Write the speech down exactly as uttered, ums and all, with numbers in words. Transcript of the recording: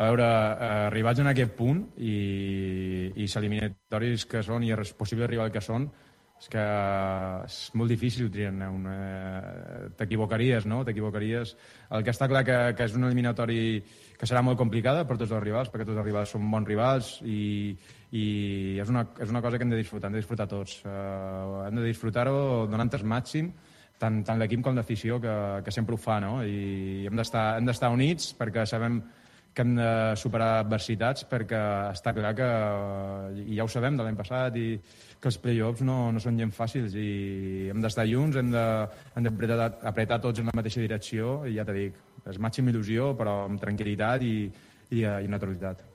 A veure, eh, arribats en aquest punt i, i s'eliminatoris que són i els possibles rivals que són, és que és molt difícil triar una... T'equivocaries, no? T'equivocaries. El que està clar que, que és un eliminatori que serà molt complicada per tots els rivals, perquè tots els rivals són bons rivals i, i és, una, és una cosa que hem de disfrutar, hem de disfrutar tots. Uh, hem de disfrutar-ho donant el màxim, tant, tant l'equip com l'afició, que, que sempre ho fa, no? I hem d'estar hem d'estar units perquè sabem que hem de superar adversitats, perquè està clar que, i ja ho sabem de l'any passat, i que els play-offs no, no són gens fàcils i hem d'estar junts, hem d'apretar apretar tots en la mateixa direcció i ja t'he dit, és màxima il·lusió però amb tranquil·litat i, i, i naturalitat.